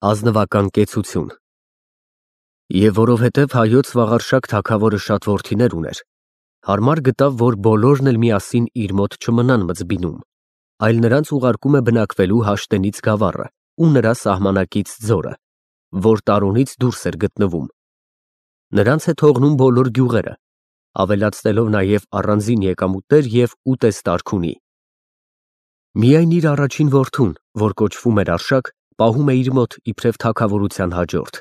Ազնվական կեցություն։ Եվ որովհետև հայոց Վաղարշակ թագավորը շատ որդիներ ուներ, հարմար գտավ, որ բոլորն էլ միասին իր մոտ չմնան մձբինում, այլ նրանց ուղարկում է բնակվելու Հաշտենից գավառը ու նրա սահմանակից ձորը, որ Տարոնից դուրս էր գտնվում։ Նրանց է թողնում բոլոր գյուղերը, ավելացնելով նաև առանձին եկամուտներ և ուտեստ ունի։ Միայն իր առաջին որդուն, որ կոչվում էր Արշակ, պահում է իր մոտ իբրև թագավորության հաջորդ,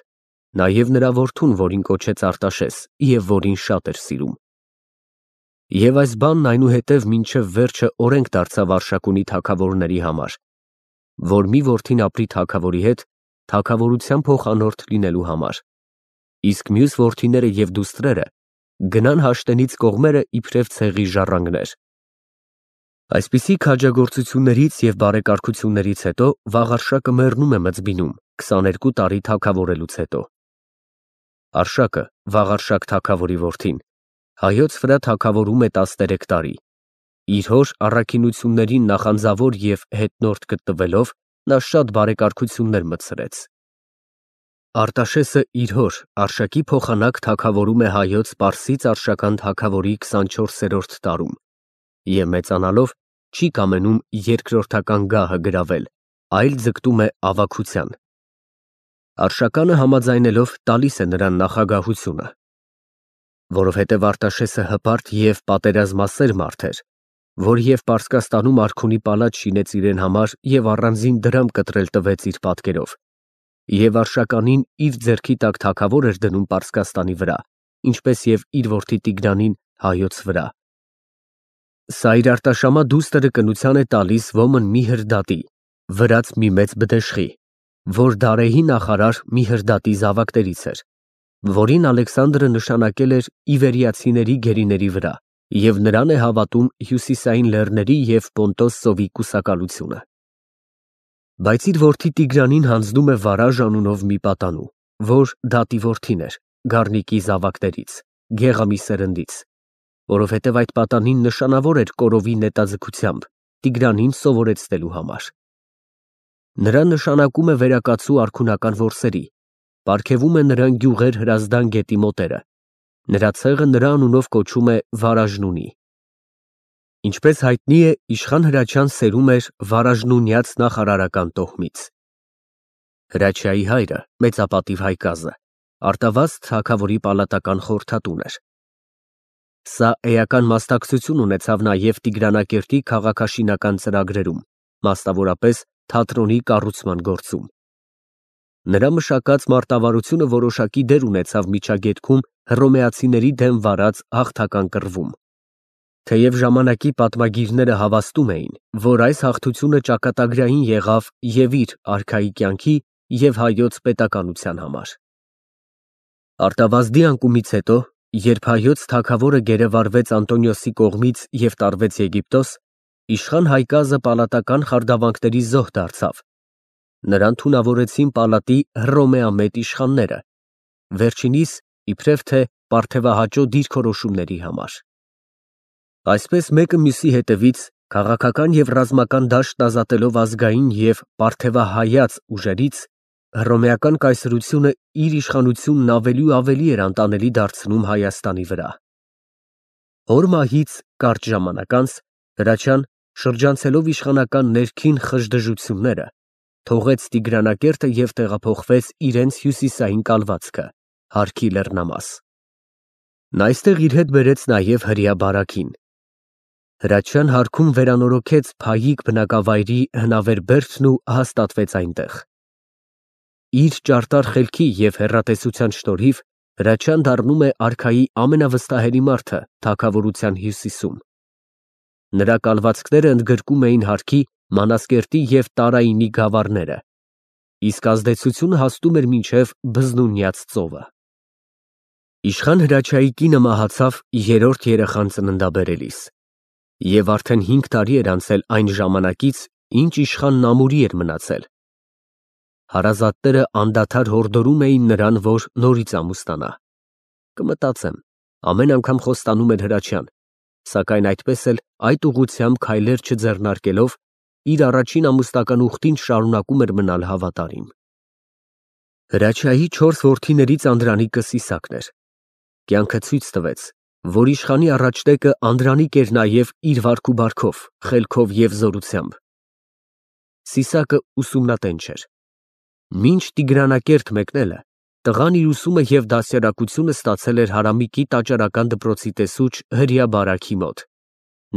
նաև նրա որդուն, որին կոչեց Արտաշես և որին շատ էր սիրում։ Եվ այս բանն այնուհետև մինչև վերջը օրենք դարձավ Արշակունի թագավորների համար, որ մի որդին ապրի թագավորի հետ թագավորության փոխանորդ լինելու համար, իսկ մյուս որդիները և դուստրերը գնան Հաշտենից կողմերը իբրև ցեղի ժառանգներ։ Այսպիսի քաջագործություններից և բարեկարգություններից հետո Վաղարշակը մեռնում է մձբինում 22 տարի թագավորելուց հետո։ Արշակը, Վաղարշակ թագավորի որդին, հայոց վրա թագավորում է 13 տարի, իր հոր առաքինություններին նախանձավոր և հետնորդ գտնվելով նա շատ բարեկարգություններ մտցրեց։ Արտաշեսը իր հոր Արշակի փոխանակ թագավորում է հայոց պարսից-արշական թագավորի 24-րդ տարում և մեծանալով չի կամենում երկրորդական գահը գրավել, այլ ձգտում է ավագության։ Արշականը համաձայնելով տալիս է նրան նախագահությունը, որովհետև Արտաշեսը հպարտ և պատերազմասեր մարդ էր, որ և Պարսկաստանում արքունի պալատ շինեց իրեն համար և առանձին դրամ կտրել տվեց իր պատկերով, և Արշականին իր ձեռքի տակ թագավոր էր դնում Պարսկաստանի վրա, ինչպես և իր որդի Տիգրանին հայոց վրա։ Սա իր արտաշամա դուստրը կնության է տալիս ոմն Միհրդատի, վրաց մի մեծ բդեշխի, որ Դարեհի նախարար Միհրդատի զավակներից էր, որին Ալեքսանդրը նշանակել էր իվերիացիների գերիների վրա և նրան է հավատում հյուսիսային լեռների և Պոնտոս ծովի կուսակալությունը։ Բայց իր որդի Տիգրանին հանձնում է Վարաժ անունով մի պատանու, որ դատի որդին էր, Գառնիկի զավակներից, Գեղամի սերնդից, որովհետև այդ պատանին նշանավոր էր կորովի նետաձգությամբ Տիգրանին սովորեցնելու համար։ Նրան նշանակում է վերակացու արքունական որսերի, պարգևում է նրան գյուղեր Հրազդան գետի մոտերը, նրա ցեղը նրա անունով կոչում է Վարաժնունի։ Ինչպես հայտնի է, իշխան Հրաչյան սերում էր Վարաժնունյաց նախարարական տոհմից։ Հրաչյայի հայրը, մեծապատիվ Հայկազը, Արտավազդ թագավորի պալատական խորհրդատուն էր։ Սա էական մասնակցություն ունեցավ նաև Տիգրանակերտի քաղաքաշինական ծրագրերում, մասնավորապես թատրոնի կառուցման գործում։ Նրա մշակած մարտավարությունը որոշակի դեր ունեցավ միջագետքում հռոմեացիների դեմ վարած հաղթական կռվում։ Թեև ժամանակի պատմագիրները հավաստում էին, որ այս հաղթությունը ճակատագրային եղավ և իր արքայի կյանքի և հայոց պետականության համար։ Արտավազդի անկումից հետո, երբ հայոց թագավորը գերեվարվեց Անտոնիոսի կողմից և տարվեց Եգիպտոս, իշխան Հայկազը պալատական խարդավանքների զոհ դարձավ։ Նրան թունավորեցին պալատի հռոմեամետ իշխանները, վերջինիս իբրև թե պարթևահաճո դիրքորոշումների համար։ Այսպես մեկը մյուսի հետևից քաղաքական և ռազմական դաշտն ազատելով ազգային և պարթևահայաց ուժերից, հռոմեական կայսրությունը իր իշխանությունն ավելի ու ավելի էր անտանելի դարձնում Հայաստանի վրա։ Հոր մահից կարճ ժամանակ անց Հրաչյան, շրջանցելով իշխանական ներքին խժդժությունները, թողեց Տիգրանակերտը և տեղափոխվեց իրենց հյուսիսային կալվածքը՝ Հարքի լեռնամաս։ Նա այստեղ իր հետ բերեց նաև հրեա բարաքին։ Հրաչյան Հարքում վերանորոգեց Փայիկ բնակավայրի հնավեր բերդն ու հաստատվեց այնտեղ։ Իր ճարտար խելքի և հեռատեսության շնորհիվ Հրաչյան դառնում է արքայի ամենավստահելի մարդը թագավորության հյուսիսում։ Նրա կալվածքները ընդգրկում էին Հարքի, Մանասկերտի և Տարայինի գավառները, իսկ ազդեցությունը հասնում էր մինչև Բզնունյաց ծովը։ Իշխան Հրաչյայի կինը մահացավ երրորդ երեխան ծննդաբերելիս, և արդեն 5 տարի էր անցել այն ժամանակից, ինչ իշխանն ամուրի էր մնացել։ Հարազատները անդադար հորդորում էին նրան, որ նորից ամուսնանա։ Կմտածեմ, ամեն անգամ խոստանում էր Հրաչյան, սակայն այդպես էլ այդ ուղղությամբ քայլեր չձեռնարկելով, իր առաջին ամուսնական ուխտին շարունակում էր մնալ հավատարիմ։ Հրաչյայի 4 որդիներից Անդրանիկը Սիսակն էր։ Կյանքը ցույց տվեց, որ իշխանի առաջտեկը Անդրանիկ էր նաև իր վարք ու բարքով, խելքով և զորությամբ։ Սիսակը ուսումնատենչ էր։ Մինչ Տիգրանակերտ մեկնելը տղան իր ուսումը և դաստիարակությունը ստացել էր Հարամիկի տաճարական դպրոցի տեսուչ Հրյա Բարաքի մոտ,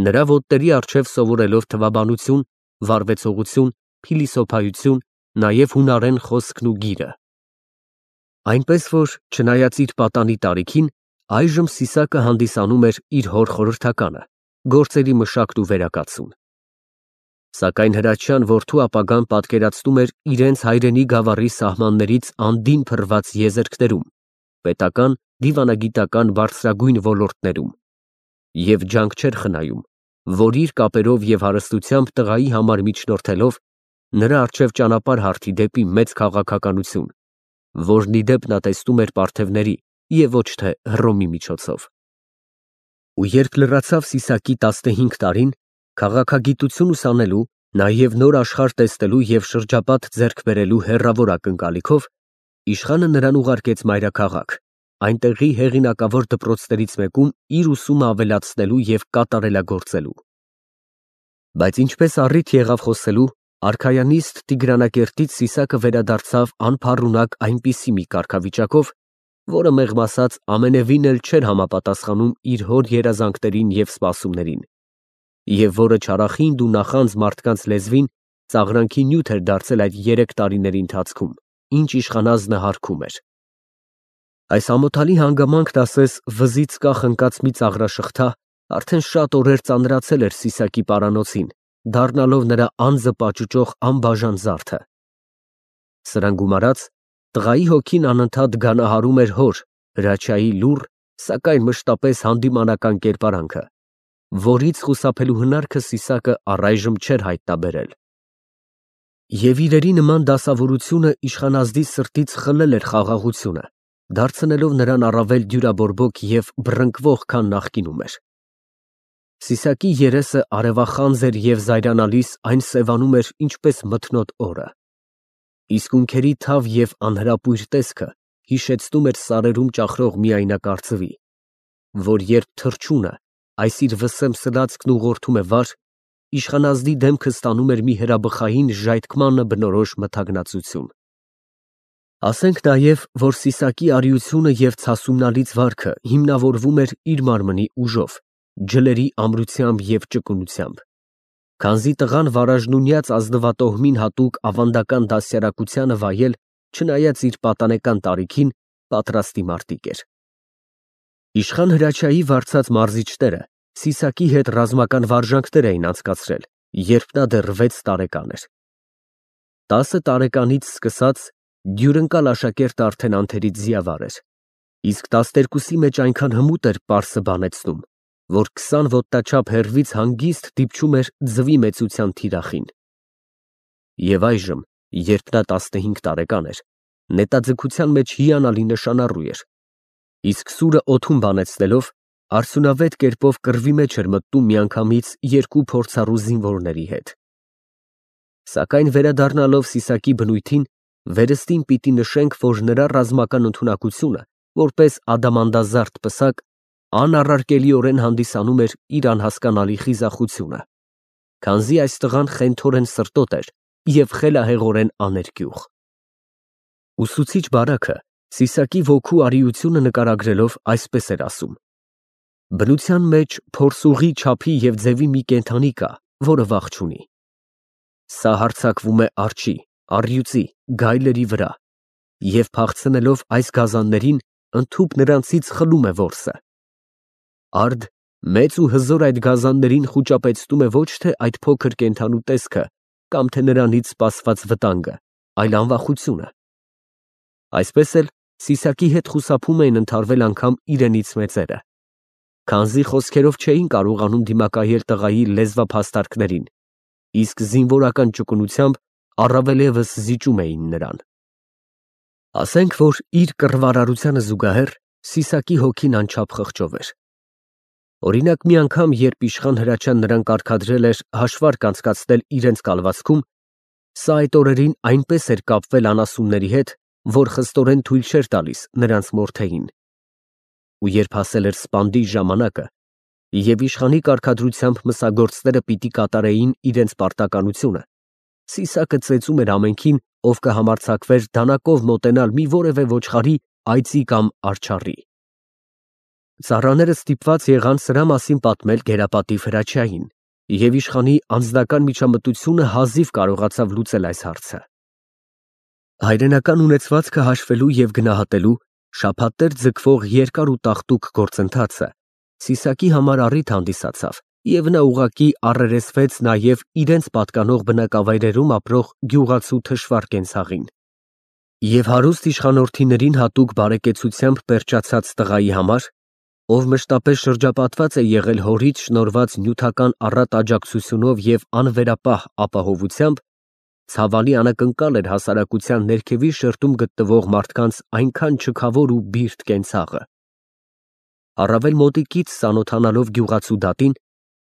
նրա ոտների առջև սովորելով թվաբանություն, վարվեցողություն, փիլիսոփայություն, նաև հունարեն խոսքն ու գիրը։ Այնպես որ, չնայած իր պատանի տարիքին, այժմ Սիսակը հանդիսանում էր իր հոր խորհրդականը, գործերի մշակտ ու վերակացուն։ Սակայն Հրաչյան որդու ապագան պատկերացնում էր իրենց հայրենի գավառի սահմաններից անդին փռված եզերքներում, պետական, դիվանագիտական բարձրագույն ոլորտներում, և ջանք չէր խնայում, որ իր կապերով և հարստությամբ տղայի համար միջնորդելով, նրա առջև ճանապարհ հարթի դեպի մեծ քաղաքականություն, որն ի դեպ նա տեսնում էր պարթևների և ոչ թե Հռոմի միջոցով։ Ու երբ լրացավ Սիսակի 15 տարին, քաղաքագիտություն ուսանելու, նաև նոր աշխարհ տեսնելու և շրջապատ ձեռք բերելու հեռավոր ակնկալիքով, իշխանը նրան ուղարկեց մայրաքաղաք, այնտեղի հեղինակավոր դպրոցներից մեկում իր ուսումը ավելացնելու և կատարելագործելու։ Բայց ինչպես առիթ եղավ խոսելու, արքայանիստ Տիգրանակերտից Սիսակը վերադարձավ անփառունակ այնպիսի մի կարգավիճակով, որը մեղմ ասած ամենևին էլ չէր համապատասխանում իր հոր երազանքներին և սպասումներին, և որը չարախինդ ու նախանձ մարդկանց լեզվին ծաղրանքի նյութ էր դարձել այդ 3 տարիների ընթացքում, ինչ իշխանազնը հարգում էր։ Այս ամոթալի հանգամանքն ասես վզից կախ ընկած մի ծաղրաշղթա արդեն շատ օրեր ծանրացել էր Սիսակի պարանոցին, դառնալով նրա անձը պաճուճող անբաժան զարդը։ Սրան գումարած, տղայի հոգին անընդհատ գանահարում էր հոր, Հրաչյայի լուռ, սակայն մշտապես հանդիմանական կերպարանքը, որից խուսափելու հնարքը Սիսակը առայժմ չէր հայտնաբերել։ Եվ իրերի նման դասավորությունը իշխանազդի սրտից խլել էր խաղաղությունը, դարձնելով նրան առավել դյուրաբորբոք և բռնկվող, քան նախկինում էր։ Սիսակի երեսը արևախանձ էր և զայրանալիս այն սևանում էր ինչպես մթնոտ օրը։ Իսկ ունքերի թավ և անհրապույր տեսքը հիշեցնում էր սարերում ճախրող միայնակարծվի, որ երբ թռչունը, այս իր վսեմ սլացքն ուղղորդում է վար, իշխանազդի դեմքը ստանում էր մի հրաբխային ժայթքմանը բնորոշ մթագնացություն։ Ասենք նաև, որ Սիսակի արիությունը և ցասումնալից վարքը հիմնավորվում էր իր մարմնի ուժով, ջլերի ամրությամբ և ճկունությամբ, քանզի տղան վարաժնունյաց ազնվատոհմին հատուկ ավանդական դաստիարակությանը վայել, չնայած իր պատանեկան տարիքին, պատրաստի մարտիկ էր։ Իշխան Հրաչյայի վարձած մարզիչները Սիսակի հետ ռազմական վարժանքներ էին անցկացրել, երբ նա դեռ 6 տարեկան էր։ 10 տարեկանից սկսած դյուրընկալ աշակերտը արդեն անթերից զիավար էր, իսկ 12-ի մեջ այնքան հմուտ էր պարսը բանեցնում, որ 20 ոտնաչափ հեռվից հանգիստ դիպչում էր ձվի մեծության թիրախին։ Եվ այժմ, երբ նա 15 տարեկան էր, նետաձգության մեջ հիանալի նշանառու էր, իսկ սուրը օդում բանեցնելով արդյունավետ կերպով կռվի մեջ էր մտնում միանգամից 2 փորձառու զինվորների հետ։ Սակայն վերադառնալով Սիսակի բնույթին, վերստին պիտի նշենք, որ նրա ռազմական ընդունակությունը, որպես ադամանդազարդ պսակ, անառարկելիորեն հանդիսանում էր իր անհասկանալի խիզախությունը, քանզի այս տղան խենթորեն սրտոտ էր և խելահեղորեն աներկյուղ։ Ուսուցիչ Բարաքը Սիսակի ոգու արիությունը նկարագրելով այսպես էր ասում. բնության մեջ փորսուղի չափի և ձևի մի կենդանի կա, որը վախ չունի։ Սա հարձակվում է արջի, առյուծի, գայլերի վրա և փախցնելով այս գազաններին, ընդհուպ նրանցից խլում է որսը։ Արդ մեծ ու հզոր այդ գազաններին խուճապեցնում է ոչ թե այդ փոքր կենդանու տեսքը կամ թե նրանից սպասված վտանգը, այլ անվախությունը։ Այսպես էլ Սիսակի հետ խուսափում էին ընդհարվել անգամ իրենից մեծերը, քանզի խոսքերով չէին կարողանում դիմակայել տղայի լեզվափաստարկներին, իսկ զինվորական ճկունությամբ առավելևս զիջում էին նրան։ Ասենք, որ իր կռվարարությանը զուգահեռ Սիսակի հոգին անչափ խղճով էր։ Օրինակ, մի անգամ, երբ իշխան Հրաչյան նրան կարգադրել էր հաշվարկ անցկացնել իրենց կալվածքում, սա այդ օրերին այնպես էր կապվել անասունների հետ, որ խստորեն թույլ չէր տալիս նրանց մորթեին։ Ու երբ հասել էր սպանդի ժամանակը, և իշխանի կարգադրությամբ մսագործները պիտի կատարեին իրենց պարտականությունը, Սիսակը ծեծում էր ամենքին, ով կհամարձակվեր դանակով մոտենալ մի որևէ ոչխարի, այծի կամ արջառի։ Ծառաները ստիպված եղան սրա մասին պատմել գերապատիվ Հրաչյային, և իշխանի անձնական միջամտությունը հազիվ կարողացավ լուծել այս հարցը։ Հայրենական ունեցվածքը հաշվելու և գնահատելու շաբաթներ ձգվող երկար ու տաղտուկ գործընթացը Սիսակի համար առիթ հանդիսացավ, և նա ուղղակի առերեսվեց նաև իրենց պատկանող բնակավայրերում ապրող գյուղացու թշվառ կենցաղին։ Եվ հարուստ իշխանորդիներին հատուկ բարեկեցությամբ պերճացած տղայի համար, ով մշտապես շրջապատված է եղել հորից շնորհված նյութական առատ աջակցությունով և անվերապահ ապահովությամբ, ցավալի անակնկալ էր հասարակության ներքևի շերտում գտնվող մարդկանց այնքան չքավոր ու բիրտ կենցաղը։ Առավել մոտիկից ծանոթանալով գյուղացու դատին,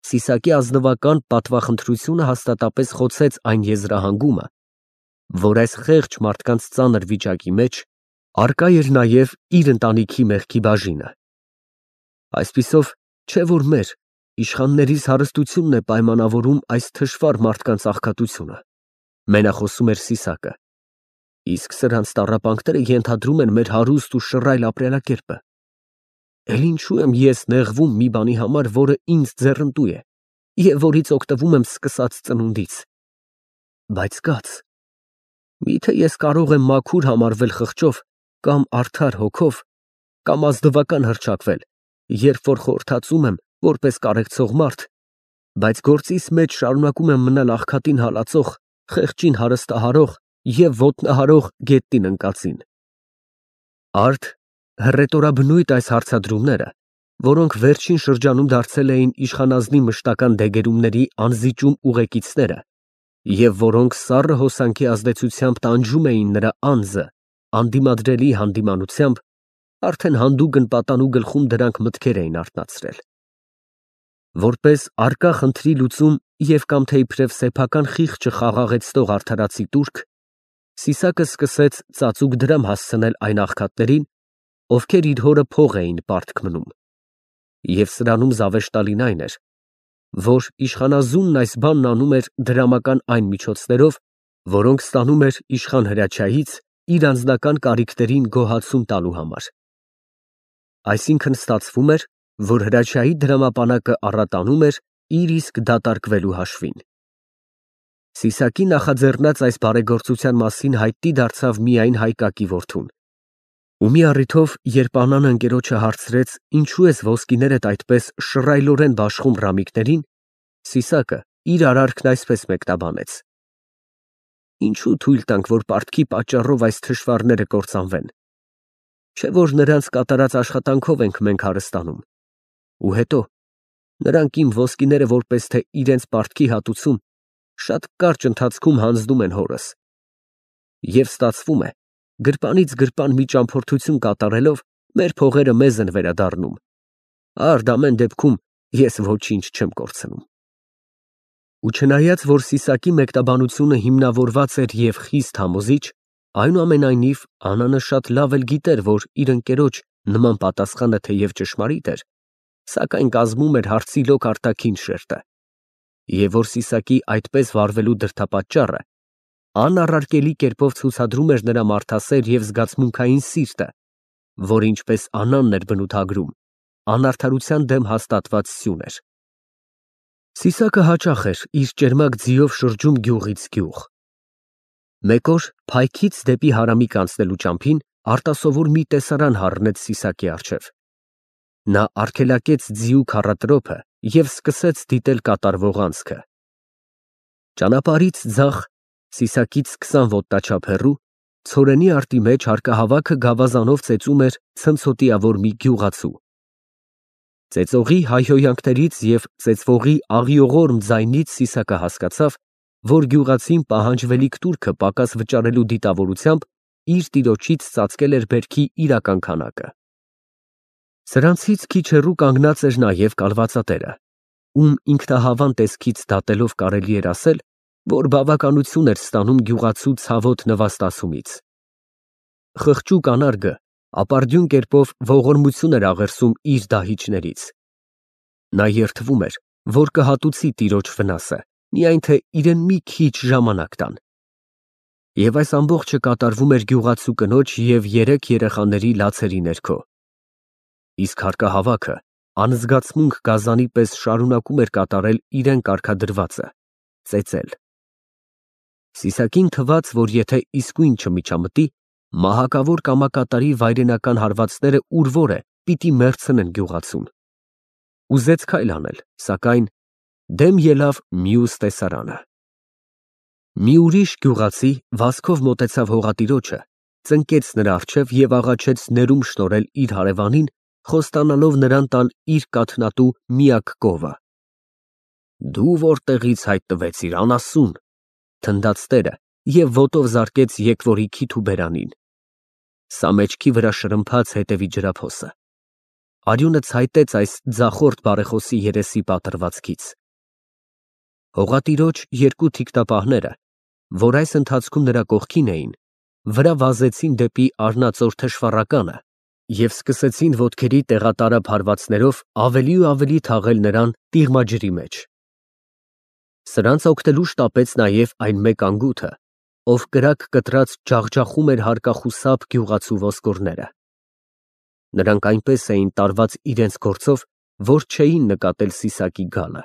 Սիսակի ազնվական պատվախնդրությունը հաստատապես խոցեց այն եզրահանգումը, որ այս խեղճ մարդկանց ծանր վիճակի մեջ առկա էր նաև իր ընտանիքի մեղքի բաժինը։ Այսպիսով, չէ որ մեր, իշխաններիս հարստությունն է պայմանավորում այս թշվառ մարդկանց աղքատությունը, մենախոսում էր Սիսակը, իսկ սրանց տառապանքները ենթադրում են մեր հարուստ ու շռայլ ապրելակերպը։ Էլ ինչու եմ ես նեղվում մի բանի համար, որը ինձ ձեռնտու է, և որից օգտվում եմ սկսած ծնունդից։ Բայց կաց, միթե ես կարող եմ մաքուր համարվել խղճով կամ արդար հոգով, կամ ազնվական հռչակվել, երբ որ խորհրդածում եմ որպես կարեկցող մարդ, բայց գործիս մեջ շարունակում եմ մնալ աղքատին հալածող, խեղճին հարստահարող և ոտնահարող գետնին ընկածին։ Արդ հռետորաբնույթ այս հարցադրումները, որոնք վերջին շրջանում դարձել էին իշխանազնի մշտական դեգերումների անզիջում ուղեկիցները, և որոնք սառը հոսանքի ազդեցությամբ տանջում էին նրա անձը անդիմադրելի հանդիմանությամբ, արդեն հանդուգն պատանու գլխում դրանք մտքեր էին արթնացրել։ Որպես առկա խնդրի լուծում և կամ թե իբրև սեփական խիղճը խաղաղեցնող արդարացի տուրք, Սիսակը սկսեց ծածուկ դրամ հասցնել այն աղքատներին, ովքեր իր հորը փող էին պարտք մնում։ Եվ սրանում զավեշտալին այն էր, որ իշխանազունն այս բանն անում էր դրամական այն միջոցներով, որոնք ստանում էր իշխան Հրաչյայից իր անձնական կարիքներին գոհացում տալու համար։ Այսինքն ստացվում էր, որ Հրաչյայի դրամապանակը առատանում էր իր իսկ դատարկվելու հաշվին։ Սիսակի նախաձեռնած այս բարեգործության մասին հայտնի դարձավ միայն Հայկակի որդուն։ Ու մի առիթով, երբ Աննան ընկերոջը հարցրեց. «Ինչու ես ոսկիներդ այդպես շռայլորեն բաշխում ռամիկներին», Սիսակը իր արարքն այսպես մեկնաբանեց. «Ինչու թույլ տանք, որ պարտքի պատճառով այս թշվառները կործանվեն։ Չէ որ նրանց կատարած աշխատանքով ենք մենք հարստանում։ Ու հետո, նրանք իմ ոսկիները որպես թե իրենց պարտքի հատուցում, շատ կարճ ընթացքում հանձնում են հորս։ Եվ ստացվում է, գրպանից գրպան մի ճամփորդություն կատարելով, մեր փողերը մեզ են վերադառնում։ Արդ ամեն դեպքում ես ոչինչ չեմ կորցնում»։ Ու չնայած, որ Սիսակի մեկնաբանությունը հիմնավորված էր և խիստ համոզիչ, այնուամենայնիվ Աննանը շատ լավ էլ գիտեր, որ իր ընկերոջ նման պատասխանը թեև ճշմարիտ էր, սակայն կազմում էր հարցի լոկ արտաքին շերտը, և որ Սիսակի այդպես վարվելու դրդապատճառը անառարկելի կերպով ցուցադրում էր նրա մարդասեր և զգացմունքային սիրտը, որ, ինչպես Աննան էր բնութագրում, անարդարության դեմ հաստատված սյուն էր։ Սիսակը հաճախ էր իր ճերմակ ձիով շրջում գյուղից գյուղ։ Մեկ օր Փայքից դեպի Հարամիկ անցնելու ճամփին արտասովոր մի տեսարան հառնեց Սիսակի առջև։ Նա արգելակեց ձիու քառատրոփը և սկսեց դիտել կատարվող անցքը։ Ճանապարհից ձախ, Սիսակից 20 ոտնաչափ հեռու, ցորենի արտի մեջ հարկահավաքը գավազանով ծեծում էր ցնցոտիավոր մի գյուղացու։ Ծեծողի հայհոյանքներից և ծեծվողի աղիողորմ ձայնից Սիսակը հասկացավ, որ գյուղացին պահանջվելիք տուրքը պակաս վճարելու դիտավորությամբ իր տիրոջից ծածկել էր բերքի իրական քանակը։ Սրանցից քիչ հեռու կանգնած էր նաև կալվածատերը, ում ինքնահավան տեսքից դատելով կարելի էր ասել, որ բավականություն էր ստանում գյուղացու ցավոտ նվաստացումից։ Խղճուկ անարգը ապարդյուն կերպով ողորմություն էր աղերսում իր դահիճներից։ Նա երդվում էր, որ կհատուցի տիրոջ վնասը, միայն թե իրեն մի քիչ ժամանակ տան։ Եվ այս ամբողջը կատարվում էր գյուղացու կնոջ և 3 երեխաների լացերի ներքո։ Իսկ հարկահավաքը անզգացմունք գազանի պես շարունակում էր կատարել իրեն կարգադրվածը՝ ծեծել։ Սիսակին թվաց, որ եթե իսկույն չմիջամտի, մահակավոր կամակատարի վայրենական հարվածները ուր որ է, պիտի մեռցնեն գյուղացուն։ Ուզեց քայլ անել, սակայն դեմ ելավ մյուս տեսարանը։ Մի ուրիշ գյուղացի վազքով մոտեցավ հողատիրոջը, ծնկեց նրա առջև և աղաչեց ներում շնորհել իր հարևանին, խոստանալով նրան տալ իր կաթնատու միակ կովը։ «Դու որտեղից հայտնվեցիր, անասուն», թնդաց տերը և ոտով զարկեց եկվորի քիթ ու բերանին։ Սա մեջքի վրա շրմփաց հետևի ջրափոսը։ Արյունը ցայտեց այս ձախորդ բարեխոսի երեսի պատռվածքից։ Հողատիրոջ 2 թիկնապահները, որ այս ընթացքում նրա կողքին էին, վրա վազեցին դեպի արնածոր թշվառականը և սկսեցին ոտքերի տեղատարափ հարվածներով ավելի ու ավելի թաղել նրան տիղմաջրի մեջ։ Սրանց օգնելու շտապեց նաև այն մեկ անգութը, ով կրակ կտրած ջախջախում էր հարկախուսափ գյուղացու ոսկորները։ Նրանք այնպես էին տարված իրենց գործով, որ չէին նկատել Սիսակի գալը։